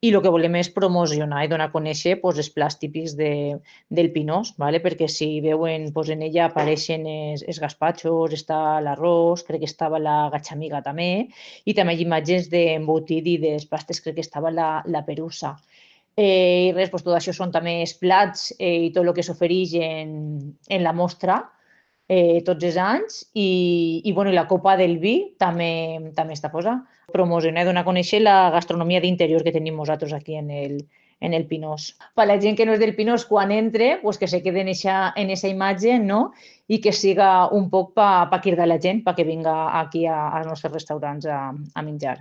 i el que volem és promocionar i donar a conèixer els plats típics del Pinós, perquè si veuen, en ella apareixen els gaspatxos, està l'arròs, crec que estava la gatxamiga també, i també hi ha imatges d'embotit i dels pastes, crec que estava la perussa. I res, tot això són també els plats i tot el que s'ofereix en la mostra tots els anys i la copa del vi també està posada. Promocionar i donar a conèixer la gastronomia d'interior que tenim nosaltres aquí en el Pinós. Per la gent que no és del Pinós, quan entre, pues que se quede en esa imatge, no? I que siga un poc per cridar la gent perquè vinga aquí als nostres restaurants a menjar.